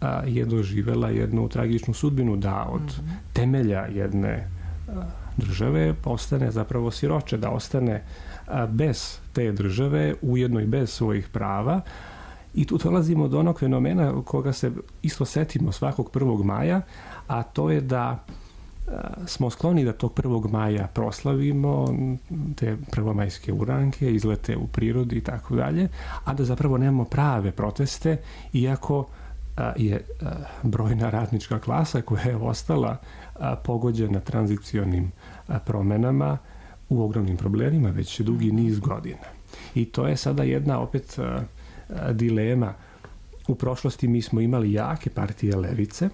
a, je doživela jednu tragičnu sudbinu da od mm-hmm. temelja jedne a, države postane zapravo siroče, da ostane a, bez te države, ujedno i bez svojih prava. I tu dolazimo do onog fenomena koga se isto setimo svakog prvog maja, a to je da smo skloni da tog prvog maja proslavimo te prvomajske uranke, izlete u prirodi i tako dalje, a da zapravo nemamo prave proteste, iako je brojna radnička klasa koja je ostala pogođena tranzicionim promenama u ogromnim problemima već dugi niz godina. I to je sada jedna opet dilema. U prošlosti mi smo imali jake partije levice.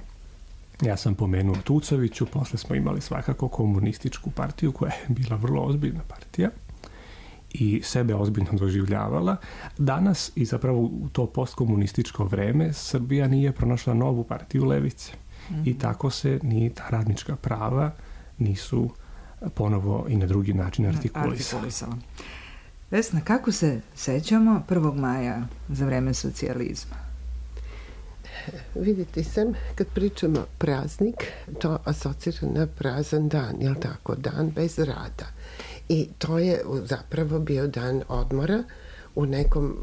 Ja sam pomenuo Tucoviću, posle smo imali svakako komunističku partiju koja je bila vrlo ozbiljna partija i sebe ozbiljno doživljavala. Danas i zapravo u to postkomunističko vreme Srbija nije pronašla novu partiju levice. Mm-hmm. I tako se ni ta radnička prava nisu ponovo i na drugi način artikulisala. artikulisala. Vesna, kako se sećamo prvog maja za vreme socijalizma? Vidite sam, kad pričamo praznik, to asocira na prazan dan, jel tako? Dan bez rada. I to je zapravo bio dan odmora u nekom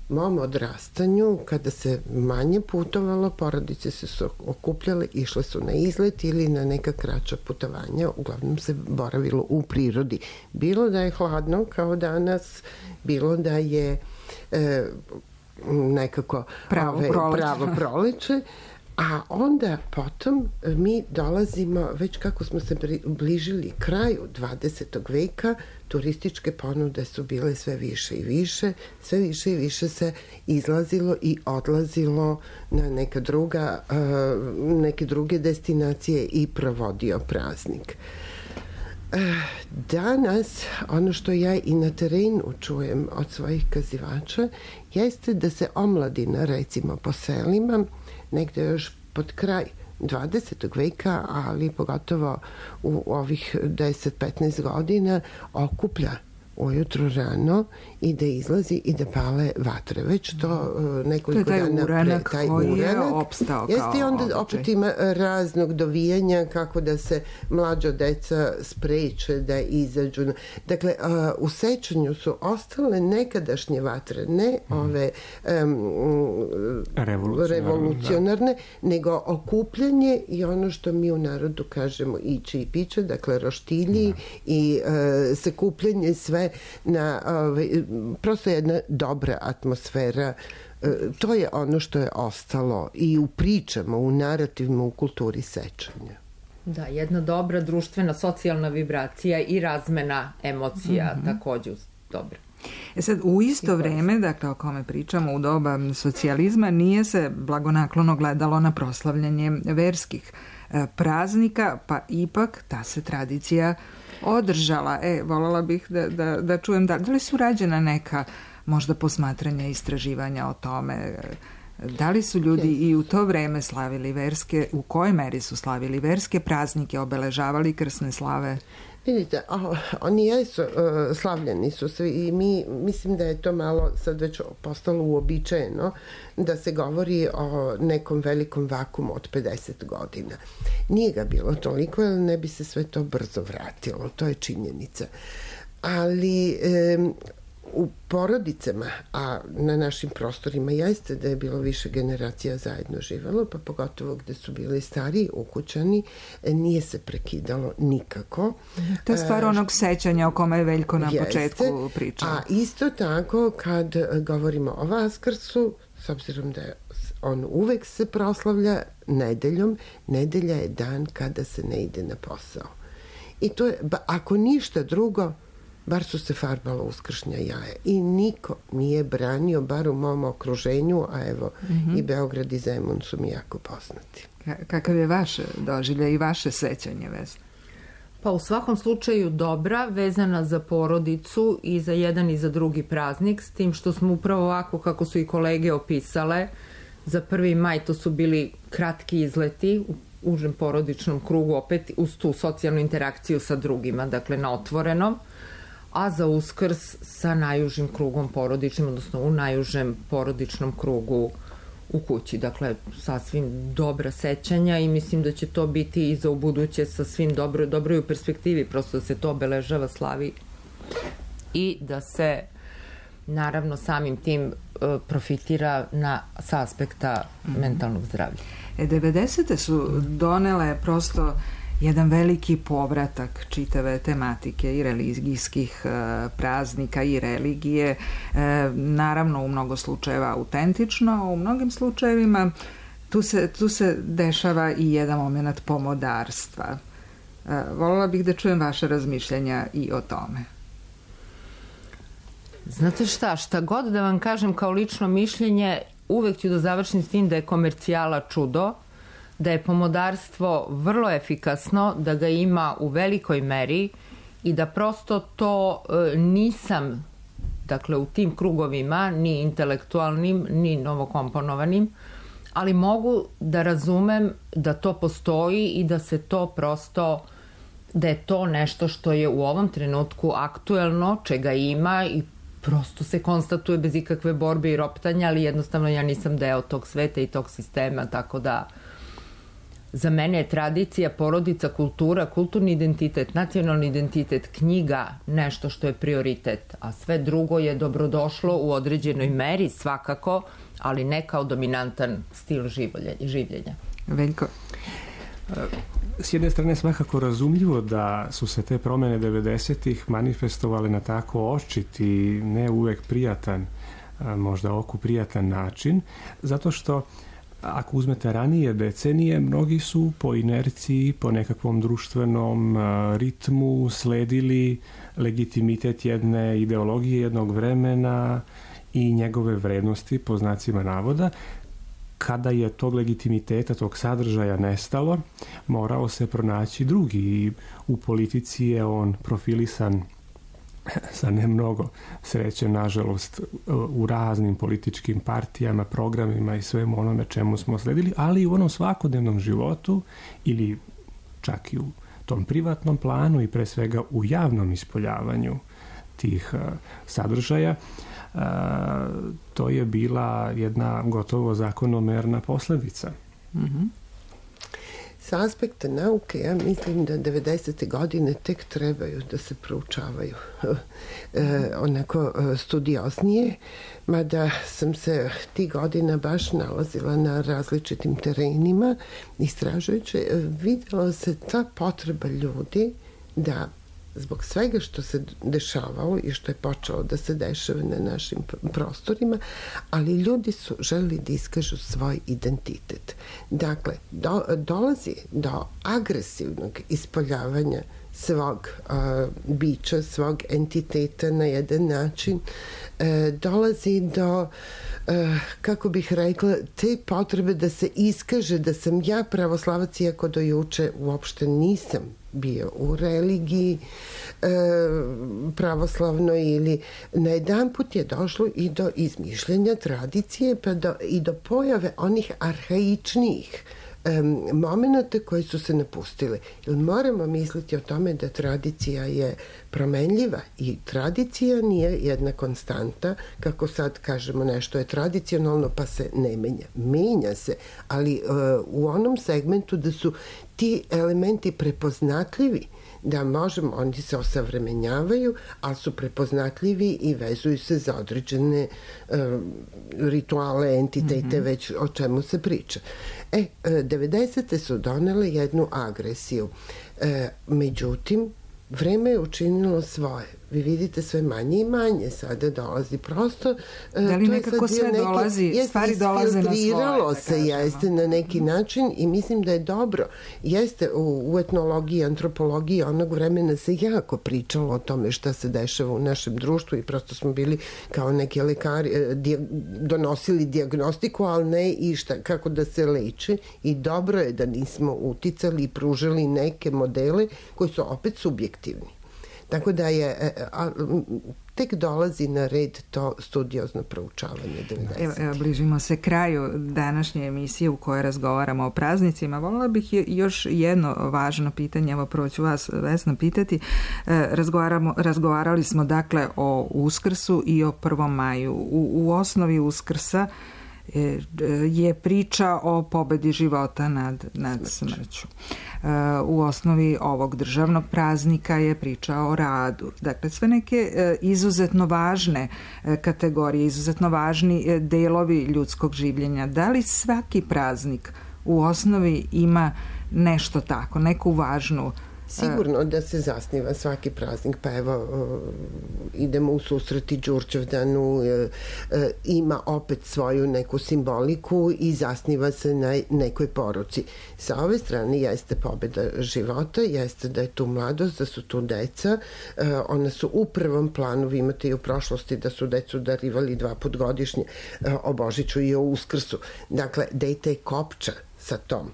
mom odrastanju, kada se manje putovalo, porodice se su okupljale, išle su na izlet ili na neka kraća putovanja, uglavnom se boravilo u prirodi. Bilo da je hladno kao danas, bilo da je e, nekako pravo, ove, proleće. pravo proleće, a onda potom mi dolazimo, već kako smo se bližili kraju dvadesetog veka, turističke ponude su bile sve više i više, sve više i više se izlazilo i odlazilo na neka druga, neke druge destinacije i provodio praznik. Danas, ono što ja i na terenu čujem od svojih kazivača, jeste da se omladina, recimo po selima, negde još pod kraj dvadesetog veka, ali pogotovo u ovih deset do petnaest godina, okuplja ujutro rano i da izlazi i da pale vatre. Već to nekoliko to je taj dana uranak pre taj koji uranak je opstao jeste kao i onda običaj. opet ima raznog dovijanja kako da se mlađa deca spreče da izađu. Dakle, u sećanju su ostale nekadašnje vatre, ne ove um, revolucionarne, revolucionarne da. nego okupljanje i ono što mi u narodu kažemo iće i piće, dakle roštilji da. i uh, sakupljanje sve na ove, prosto jedna dobra atmosfera. To je ono što je ostalo i u pričama, u narativima, u kulturi sećanja. Da, jedna dobra društvena, socijalna vibracija i razmena emocija mm-hmm. takođe dobra. E sad, u isto vreme, dakle o kome pričamo, u doba socijalizma, nije se blagonaklono gledalo na proslavljanje verskih praznika, pa ipak ta se tradicija održala. E, voljela bih da, da, da čujem da, da li su rađena neka možda posmatranja, istraživanja o tome Da li su ljudi i u to vreme slavili verske, u kojoj meri su slavili verske praznike, obeležavali krsne slave? Vidite, oh, oni jesu, uh, slavljeni su svi i mi, mislim da je to malo sad već postalo uobičajeno da se govori o nekom velikom vakumu od pedeset godina. Nije ga bilo toliko, jer ne bi se sve to brzo vratilo, to je činjenica. Ali um, u porodicama, a na našim prostorima jeste da je bilo više generacija zajedno živelo, pa pogotovo gde su bili stariji ukućani, nije se prekidalo nikako. To je stvar onog sećanja o kome je Veljko na jeste, početku pričao. A isto tako kad govorimo o Vaskrsu, s obzirom da je on uvek se proslavlja nedeljom, nedelja je dan kada se ne ide na posao. I to je, ako ništa drugo, bar su se farbala uskršnja jaja i niko nije branio, bar u mom okruženju, a evo mm-hmm. i Beograd i Zemun su mi jako poznati. K- kakav je vaše doživlje i vaše sećanje, Vesna? Pa u svakom slučaju dobra, vezana za porodicu i za jedan i za drugi praznik, s tim što smo upravo ovako kako su i kolege opisale, za prvi maj to su bili kratki izleti u užem porodičnom krugu, opet uz tu socijalnu interakciju sa drugima, dakle na otvorenom, a za Uskrs sa najužim krugom porodičnim, odnosno u najužem porodičnom krugu u kući. Dakle, sasvim dobra sećanja i mislim da će to biti i za ubuduće sa svim dobro, dobroj u perspektivi, prosto da se to obeležava, slavi i da se naravno samim tim profitira na, sa aspekta mm-hmm. mentalnog zdravlja. E, devedesete su donele prosto jedan veliki povratak čitave tematike i religijskih e, praznika i religije, e, naravno u mnogo slučajeva autentično, a u mnogim slučajevima tu se, tu se dešava i jedan moment pomodarstva. E, voljela bih da čujem vaše razmišljanja i o tome. Znate šta, šta god da vam kažem kao lično mišljenje, uvek ću da završim s tim da je komercijala čudo, da je pomodarstvo vrlo efikasno, da ga ima u velikoj meri i da prosto to e, nisam, dakle u tim krugovima, ni intelektualnim, ni novokomponovanim, ali mogu da razumem da to postoji i da se to prosto, da je to nešto što je u ovom trenutku aktuelno, čega ima i prosto se konstatuje bez ikakve borbe i roptanja, ali jednostavno ja nisam deo tog sveta i tog sistema, tako da za mene je tradicija, porodica, kultura, kulturni identitet, nacionalni identitet, knjiga nešto što je prioritet, a sve drugo je dobrodošlo u određenoj meri svakako, ali ne kao dominantan stil življenja. Veljko? S jedne strane svakako razumljivo da su se te promene devedesetih manifestovale na tako očit i ne uvek prijatan, možda oku prijatan način, zato što ako uzmete ranije decenije, mnogi su po inerciji, po nekakvom društvenom ritmu sledili legitimitet jedne ideologije, jednog vremena i njegove vrednosti, po znacima navoda. Kada je tog legitimiteta, tog sadržaja nestalo, morao se pronaći drugi i u politici je on profilisan sa ne mnogo sreće, nažalost, u raznim političkim partijama, programima i svemu onome čemu smo sledili, ali i u onom svakodnevnom životu ili čak i u tom privatnom planu i pre svega u javnom ispoljavanju tih uh, sadržaja. Uh, to je bila jedna gotovo zakonomerna posledica. Mm-hmm. Sa aspekta nauke, ja mislim da devedesete godine tek trebaju da se proučavaju e, onako studioznije, mada sam se tih godina baš nalazila na različitim terenima istražujući, vidjela se ta potreba ljudi da zbog svega što se dešavalo i što je počelo da se dešava na našim prostorima, ali ljudi su želeli da iskažu svoj identitet. Dakle, do, dolazi do agresivnog ispoljavanja svog uh, bića, svog entiteta na jedan način. E, dolazi do, uh, kako bih rekla, te potrebe da se iskaže da sam ja pravoslavac, iako do juče uopšte nisam bio u religiji e, pravoslavnoj ili na jedan put je došlo i do izmišljenja tradicije pa do, i do pojave onih arhaičnijih momenata koji su se napustili. Jer moramo misliti o tome da tradicija je promenljiva i tradicija nije jedna konstanta, kako sad kažemo nešto je tradicionalno pa se ne menja. Menja se, ali uh, u onom segmentu da su ti elementi prepoznatljivi, da možemo, oni se osavremenjavaju, ali su prepoznatljivi i vezuju se za određene uh, rituale, entitete, mm-hmm. već o čemu se priča. E, devedesete su donele jednu agresiju. E, međutim, vreme je učinilo svoje. Vi vidite sve manje i manje sada dolazi. Prosto, da li nekako sve neki, dolazi, stvari dolaze na svoje? Se, kažemo. Jeste na neki način i mislim da je dobro. Jeste u, u etnologiji, antropologiji onog vremena se jako pričalo o tome šta se dešava u našem društvu i prosto smo bili kao neki lekari, di, donosili dijagnostiku, ali ne i šta, kako da se leče i dobro je da nismo uticali i pružili neke modele koji su opet subjektivni. Tako da je, a, tek dolazi na red to studiozno proučavanje devedesetih. Evo, evo, bližimo se kraju današnje emisije u kojoj razgovaramo o praznicima. Voljela bih još jedno važno pitanje, evo prvo ću vas, Vesna, pitati. Razgovaramo, razgovarali smo dakle o Uskrsu i o prvom maju. U, u osnovi Uskrsa je priča o pobedi života nad, nad smrću. U osnovi ovog državnog praznika je priča o radu. Dakle, sve neke izuzetno važne kategorije, izuzetno važni delovi ljudskog življenja. Da li svaki praznik u osnovi ima nešto tako, neku važnu? Sigurno da se zasniva svaki praznik, pa evo idemo u susreti Đurđevdanu, ima opet svoju neku simboliku i zasniva se na nekoj poruci. Sa ove strane jeste pobeda života, jeste da je tu mladost, da su tu deca, ona su u prvom planu, vi imate i u prošlosti da su decu darivali dva put godišnje, o Božiću i o Uskrsu. Dakle, dete je kopča sa tom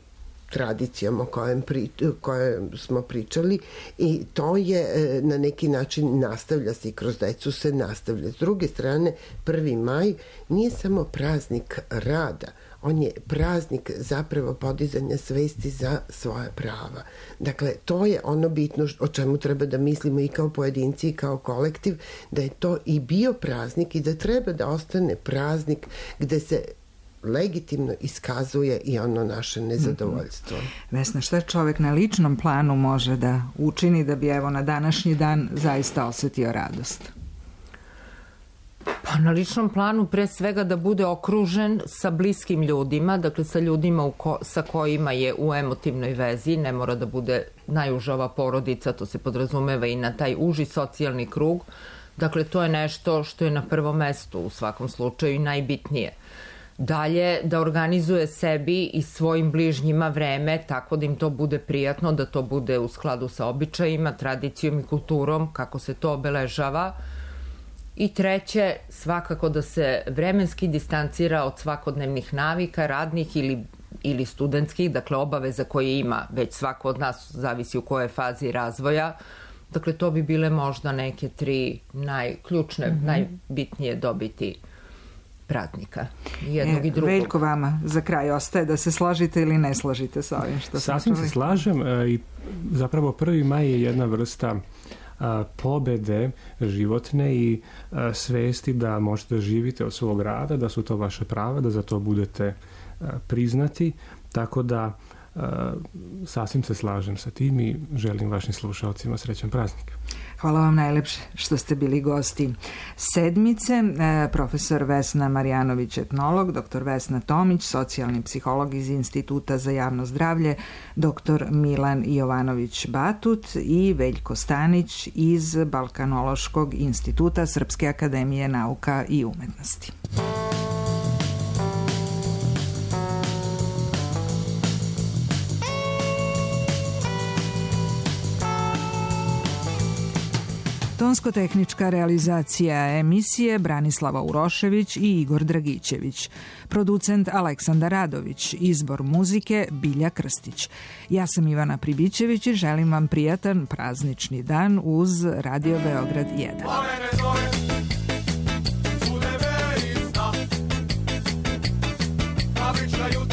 tradicijom o kojem, pri, kojem smo pričali i to je na neki način nastavlja se i kroz decu se nastavlja. S druge strane, prvi maj nije samo praznik rada, on je praznik zapravo podizanja svesti za svoja prava. Dakle, to je ono bitno o čemu treba da mislimo i kao pojedinci i kao kolektiv, da je to i bio praznik i da treba da ostane praznik gde se legitimno iskazuje i ono naše nezadovoljstvo. Mm-hmm. Vesna, šta čovjek na ličnom planu može da učini da bi evo na današnji dan zaista osjetio radost? Pa na ličnom planu pre svega da bude okružen sa bliskim ljudima, dakle sa ljudima u ko, sa kojima je u emotivnoj vezi, ne mora da bude najužava porodica, to se podrazumeva i na taj uži socijalni krug. Dakle, to je nešto što je na prvom mestu u svakom slučaju i najbitnije. Dalje, da organizuje sebi i svojim bližnjima vreme tako da im to bude prijatno, da to bude u skladu sa običajima, tradicijom i kulturom, kako se to obeležava. I treće, svakako da se vremenski distancira od svakodnevnih navika, radnih ili, ili studentskih, dakle obaveza koje ima već svako od nas, zavisi u kojoj fazi razvoja. Dakle, to bi bile možda neke tri najključne, mm-hmm. najbitnije dobiti praznika, jednog e, i drugog. Veljko, vama za kraj ostaje da se složite ili ne složite sa ovim što sam Sasvim se slažem e, i zapravo prvi maj je jedna vrsta a, pobede životne i a, svesti da možete živite od svog rada, da su to vaše prava, da za to budete a, priznati, tako da a, sasvim se slažem sa tim i želim vašim slušalcima srećan praznik. Hvala vam najlepše što ste bili gosti sedmice. Profesor Vesna Marjanović, etnolog, doktor Vesna Tomić, socijalni psiholog iz Instituta za javno zdravlje, doktor Milan Jovanović Batut i Veljko Stanić iz Balkanološkog instituta Srpske akademije nauka i umetnosti. Tonsko-tehnička realizacija emisije Branislava Urošević i Igor Dragićević. Producent Aleksandar Radović. Izbor muzike Bilja Krstić. Ja sam Ivana Pribićević i želim vam prijatan praznični dan uz Radio Beograd jedan. Fabrička jutra